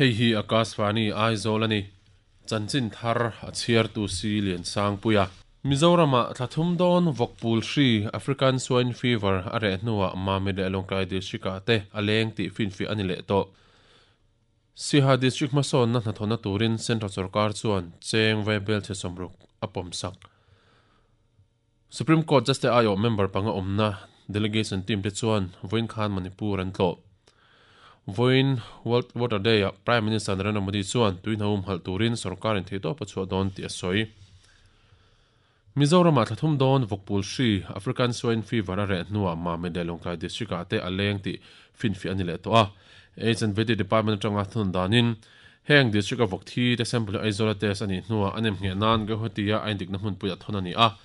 Hei hi Akashvani Aizawl a ni. Chanchin thar a chhiartu si Liansangpuia. Mizoramah thla thum dawn vawkpul hri, African Swine Fever, a reh hnuah Mamit leh Lawngtlai District-ah te a leng tih finfiah a ni leh tawh. Siha District hmasawnna hnathawhna turin Central Sorkar chuan cheng vaibel chhe 60 a pawmsak. Supreme Court Justice aiawh member panga awmna delegation team te chuan vawiin khan Manipur an tlawh. Vawiin World Water Day-ah Prime Minister Narendra Modi chuan tui hna humhalh turin sorkarin theihtawp a chhuah dawn tih a sawi. Mizoramah thla thum dawn vawkpul hri, African Swine Fever, a reh hnuah Mamit leh Lawngtlai District-ah te a leng tih finfiah a ni leh tawh a. Aids and Vety Department atanga thunun danin heng district-a vawk thi te sample hi Aizawl-a test a nih hnuah a nemngheh nan Guwahati-a a indikna hmunpuiah thawn a ni a.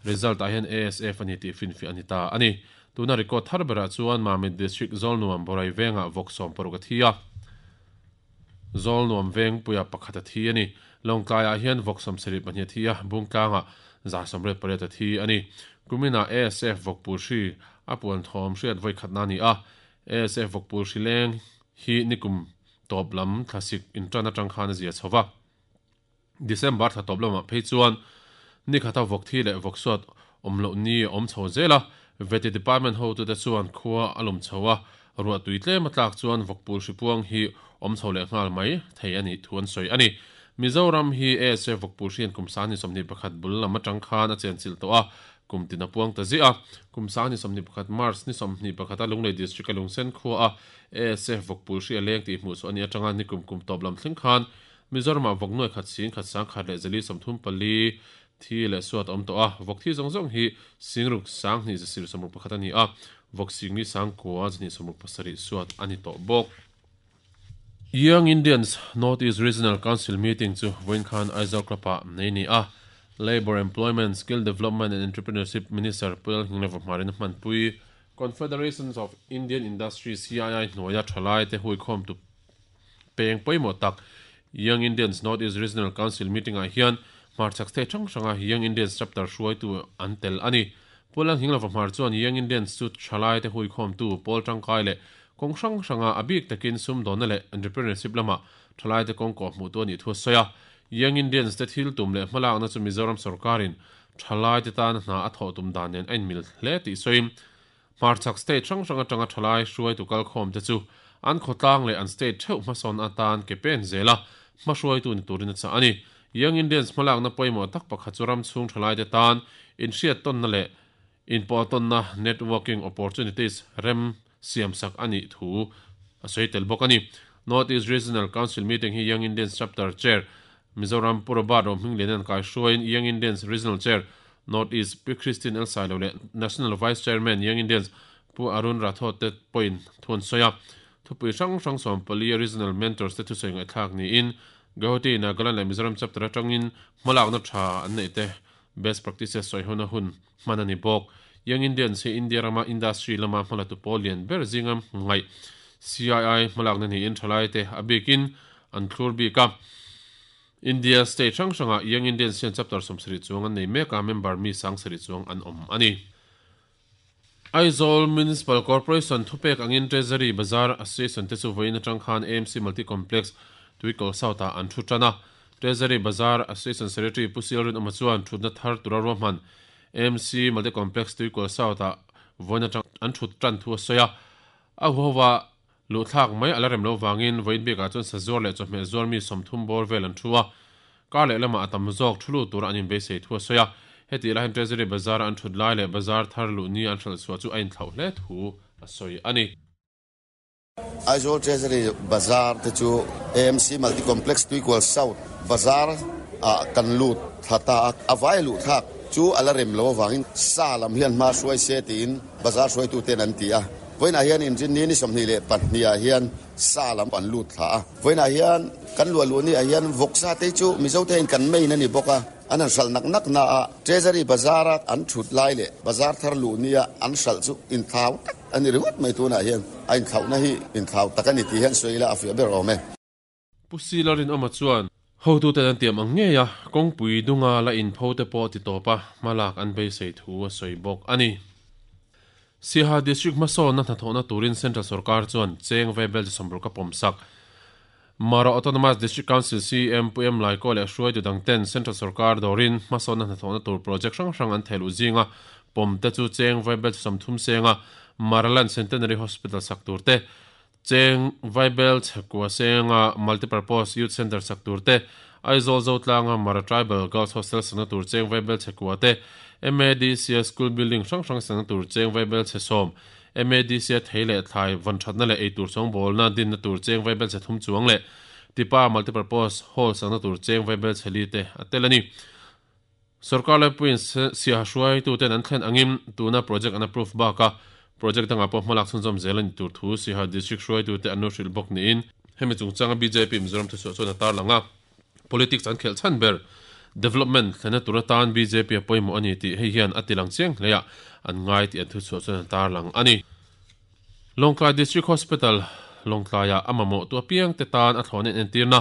Result-ah hian ASF a ni tih finfiah a ni ta a ni. Tuna record thar berah chuan Mamit District Zawlnuam Borai vengah vawk 16 a thi a. Zawlnuam vengpuia pakhat a thi a ni. Lawngtlaiah hian vawk 72 a thi a, Bungtlangah 188 a thi a ni. Kuminah ASF vawkpul hri a puan thawm hriat vawi khatna a ni a. ASF vawkpul hri leng hi nikum tawp lam thlasik intan atang khan a zia chho va. December thla tawp lamah phei chuan ni khata vawk thi leh vawk suat awm loh ni a awm chho zel a, Vety Department hotute chuan khua a lum chho a, ruah tui tlem a tlak chuan vawkpul hripuang hi awm chho leh nghal mai thei a nih thu an sawi a ni. Mizoram hi ASF vawkpul hrian kum 2021 bul lam atang khan a chenchilh tawh a, kum tin a puang ta ziah a. Kum 2021 March ni 21 a Lunglei District a Lungsen khua a ASF vawkpul hri a leng tih hmuh chhuah a nih atanga nikum kum tawp lam thleng khan Mizoramah vawk nuai khat sing khat sang khat leh zali 34 thi leh suat a awm tawh a, vawk thi zawng zawng hi singruk sang hnih zasir 61 a ni a, vawk singli sang kua zahnih 67 suat a ni tawh bawk. Young Indians North East Regional Council meeting chu vawiin khan Aizawl Club-ah nei a ni a, Labour, Employment, Skill Development and Entrepreneurship Minister Pu Lalhingna Vahmarin a hmanpui. Confederations of Indian Industry, CII, hnuaia thalaite huikhawmtu Peng pawimawh tak Young Indians North East Regional Council meeting-ah hian hmarchhak state hrang hranga Young Indians chapter hruaitu an tel a ni. Pu Lalhinglova hmar chuan Young Indians chu thalaite huikhawmtu pawl tangkai leh kawng hrang hranga a bik takin sumdawnna leh entrepreneurship lama thalaite kawng kawh hmuhtu a nih thu a sawi a. Young Indians te thil tum leh hmalakna chu Mizoram sorkarin thalaite tana hna a thawh tum dan nen a inmil hle tih sawiin Hmarchhak state hrang hrang atanga thalai hruaitu kalkhawmte chu an khawtlang leh an state theuh hmasawn atan ke pen zel a, hmahruaitu ni turin a chah a ni. Young Indians hmalakna pawimawh tak pakhat chu ram chhung thalaite tan inhriattawnna leh inpawhtawnna, networking opportunities, rem siamsak a nih thu a sawi tel bawk a ni. North East Regional Council meeting hi Young Indians Chapter Chair Mizoram Pu Robert Rohmingliana'n kaihruaiin Young Indians Regional Chair, North East, Pi Christine L. Sailo leh National Vice Chairman, Young Indians, Pu Arun Rathod te pawhin thu an sawi a. Thupui hrang hrang 14 Regional Mentors te thusawi ngaihthlak niin Guwahati, Nagaland leh Mizoram Chapter atangin hmalakna tha an neih te best practices sawi hona hun hman a ni bawk. Young Indians hi India rama industry lama hmalatu pawl lian ber zinga ngaih CII hmalakna niin thalaite a bikin an thlur bik a. India state hrang hrangah Young Indians hian chapter 70 chuang an nei mek a, member mi 70 chuang an awm a ni. Aizawl Municipal Corporation thupek angin Treasury Bazar Association te chu vawiin atang khan AMC Multi Complex Tuikal South-ah an thu tan a. Treasury Bazar Association Secretary Pu Sialrinawma chuan thutna thar tura ruahman AMC Multi Complex Tuikal South-ah vawiin atang an thut tan thu a sawi a. A huhova luhthlak mai a la rem lo vangin vawiin bikah chuan sazuar leh chawhmeh zuar mi 30 bawr vel an thu a. Kar leh lamah a tam zawk thu lut tura an inbeisei thu a sawi a. Hetih lai hian Treasury Bazar-a an thut lai leh bazar thar luh ni an hralh chhuah chu a inthlauh hle thu a sawi a ni. Aizawl Treasury Bazar te chu AMC Multi Complex Tuikual South Bazar ah kan lut thla ta a, a vai luh thlak chu a la rem lo avangin sa lam hian hma hruai se tiin bazar hruaituten an ti a. Vawiinah hian inrinni ni 22 ah hian sa lam an lut thla a. Vawiinah hian kan luah luh ni ah hian vawksa te chu Mizo te hian kan main a ni bawk a, an han hralh nak nak na a, Treasury Bazar a an thut lai leh bazar thar luh ni a an hralh chu inthlau tak a ni ringawt mai tunah hian a inthlauhna hi inthlau tak a ni tih hian sawi ila a fiah ber awm e. Pu Sila Rinawma chuan hotute an tiam ang ngei a, kawngpui dunga la inpho te pawh ti tawp a, hmalak an beisei thu a sawi bawk a ni. Siaha District hmasawnna hnathawhna turin Central Sorkar chuan cheng vaibel chi 60 a pawmsak. Mara Autonomous District Council CM Pu Em Laikaw leh hruaitu dangten Central Sorkar dawrin hmasawnna hnathawhna tur project hrang hrang an thehluh zinga pawm te chu Cheng Vaibel 30 senga Maraland Centenary Hospital sak tur te, Cheng Vaibel chhekua senga Multipurpose Youth Centre sak tur te, Aizawl Zotlanga Mara Tribal Girls Hostel sakna tur Cheng Vaibel chhekua te, MADC-a School Building hrang hrang sakna tur Cheng Vaibel chhe sawm, MADC-a thei leh thlai vawn thatna leh eitur chawngbawlna dinna tur cheng vaibelchhe thum chuang leh Tipa Multipurpose Hall sakna tur cheng vaibelchhe li te a tel a ni. Sorkar laipuiin siaha hruaituten an thlen angin tuna project an approve baka project dangah pawh hmalak chhunzawm zel a ni tur thu Siaha District hruaitute an lo hrilh bawk niin hemi chungchanga bjp Mizoram thuchhuah chuan a tarlang a. Politics an khelh chhan ber development thlenna tur atan bjp a pawimawh a ni tih hei hian a tilang chiang hle a, an ngai tih an thuchhuah chuan a tarlang a ni. Lawngtlai District Hospital, Lawngtlaiah a mamawh tu apiang te tan a thlawhna inentirna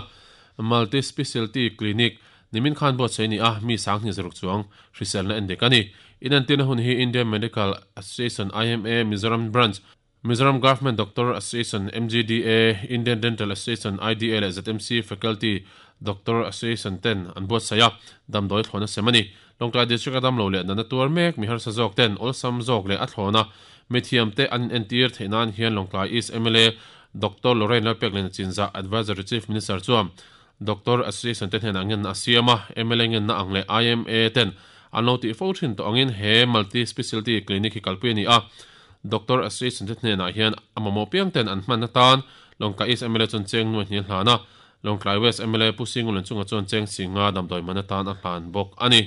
Multi Specialty Clinic nimin khan buatsaih a ni a, mi sanghnih zaruk chuang hriselna endik a ni. Inentirna hun hi Indian Medical Association, IMA, Mizoram Branch, Mizoram Government Doctor Association, MGDA, Indian Dental Association, IDA, leh ZMC Faculty Doctor Association ten an buatsaih a, damdawi thlawhna sem a ni. Lawngtlai District a damlo leh natna tuar mek mi harsa zawk ten awlsam zawk leh a thlawhna mithiam te an inentir theih nan hian Lawngtlai East mla Doctor Lorraine Lalpekliana Chinzah Advisory Chief Minister chuan Doctor Association te hnenah ngenna a siam a, mla ngenna ang leh IMA ten an lo tih fo thin tawh angin he Multi Specialty Clinic hi kalpui a ni a. Doctor Association te hnenah hian a mamawh piang ten an hman atan Lawngtlai East mla chuan cheng nuai hnih a hlan a, Lawngtlai West mla Pu Singulan chungah chuan cheng singa damdawi man atan a hlan bawk a ni.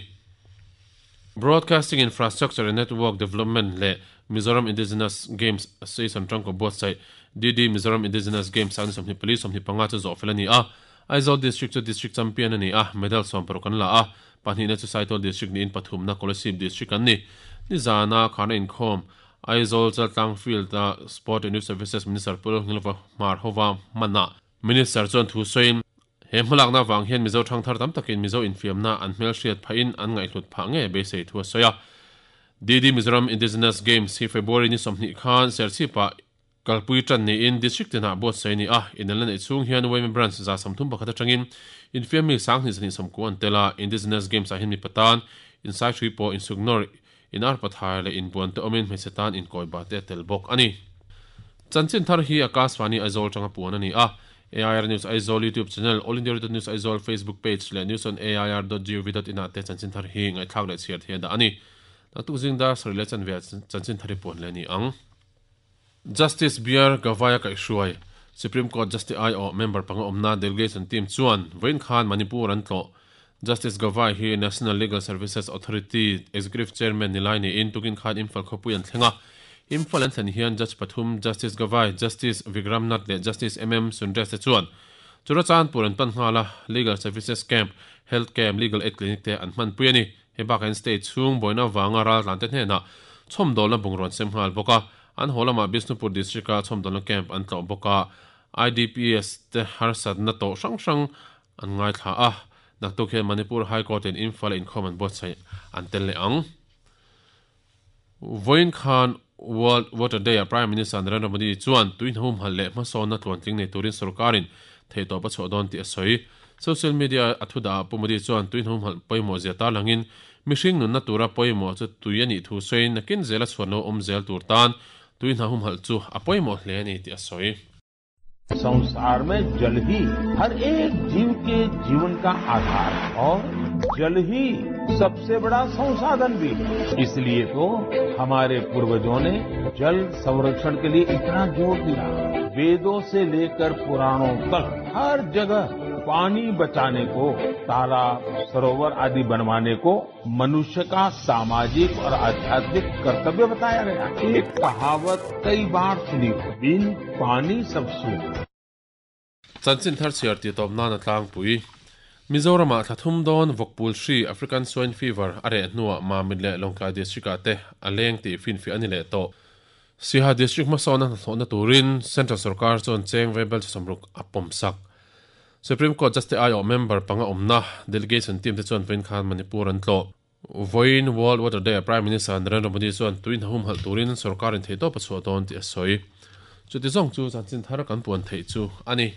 Broadcasting Infrastructure and Network Development leh Mizoram Indigenous Games Association tangkaw buatsaih DD Mizoram Indigenous Games a ni 24 25 chu zawh fel a ni a. Aizawl District chu District Champion a ni a, medal 60 an la a, pahnihna chu Saitual District niin pathumna Kolasib District an ni. Nizana kharna inkhawm Aizawl Chaltlang Field-a Sport and Youth Services Minister Pu Lalngilva Hmar hova hmanah Minister chuan thu sawiin, He hmalakna avang hian Mizo thangthar tam takin Mizo infiamna an hmelhriat phahin an ngaihhlut phah ngei beisei thu a sawi a. DD Mizoram Indigenous Games hi February ni 20 khan Serchhipah kalpui tan niin District tinah buatsaih a ni a, inelna neih chhung hian YMA Branch 31 atangin infiammi 2229 an tel a, Indigenous Games ah hian mipa tan insaithui pawh insuknawr, inarpathai leh inbuan te awmin hmeichhe tan inkawiba te a tel bawk a ni. Chanchin thar hi Akashvani Aizawl tanga puan a ni a, AIR News Aizawl YouTube channel, All India Radio News Aizawl Facebook page leh newsonair.gov.in ah te chanchin thar hi ngaihthlak leh chhiar thei a dah a ni. Naktuk zing dar sarih leh chanve ah chanchin thar hi puan leh a ni ang. Justice BR Gavai-a kaihhruai, Supreme Court Justice aiawh member panga awmna delegation team chuan vawiin khan Manipur an tlawh. Justice Gavai hi National Legal Services Authority Executive Chairman ni lai niin tukin khan Imphal khawpui an thleng a. Imphal an thlen hian Judge pathum Justice Gavai, Justice Vikram Nath leh Justice MM Sundresh te chuan Churachandpur an pan nghal a, Legal Services Camp, Health Camp, Legal Aid Clinic te an hmanpui a ni. Hei bakah hian state chhung buaina avanga raltlante hnenah chhawmdawlna bungraw an sem nghal bawk a, an haw lamah Bishnupur District-a chhawmdawlna camp an tlawh bawk a, IDPs te harsatna tawh hrang hrang an ngaithla a, naktuk hian Manipur High Court-in Imphal-a inkhawm an buatsaih an tel leh ang. Vawiin khan World Water Day-ah Prime Minister Narendra Modi chuan tui hnahumhalh leh hmasawnna tluantling nei turin sorkarin theihtawp a chhuah dawn tih a sawi. Social media a thudah ah Pu Modi chuan tui hnahumhalh pawimawh zia tarlangin mihring nunna tura pawimawh chu tui a nih thu sawiin nakin zela chhuan lo awm zel tur tan tui hnahumhalh chu a pawimawh hle a ni tih a sawi. संसार में जल ही हर एक जीव के जीवन का आधार है और जल ही सबसे बड़ा संसाधन भी है इसलिए तो हमारे पूर्वजों ने जल संरक्षण के लिए इतना जोर दिया वेदों से लेकर पुराणों तक हर जगह पानी बचाने को तालाब सरोवर आदि बनवाने को मनुष्य का सामाजिक और आध्यात्मिक कर्तव्य बताया गया एक कहावत कई बार सुनी हो बिन पानी सब सूख Chanchin thar chhiar tih tawp nan a tlangpui. Mizoramah thla thum dawn vawkpul hri, African Swine Fever, a reh hnuah Mamit leh Lawngtlai District-ah te a leng tih finfiah a ni leh tawh. Siaha District hmasawnna hnathawhna turin Central Sorkar chuan cheng vaibel 60 a pawmsak. Supreme Court Justice aiawh member panga awmna delegation team te chuan vawiin khan Manipur an tlawh. Vawiin World Water Day-ah Prime Minister Narendra Modi chuan tui hna humhalh turin sorkarin theihtawp a chhuah dawn tih a sawi. Chuti zawng chu chanchin thar kan puan theih chu a ni.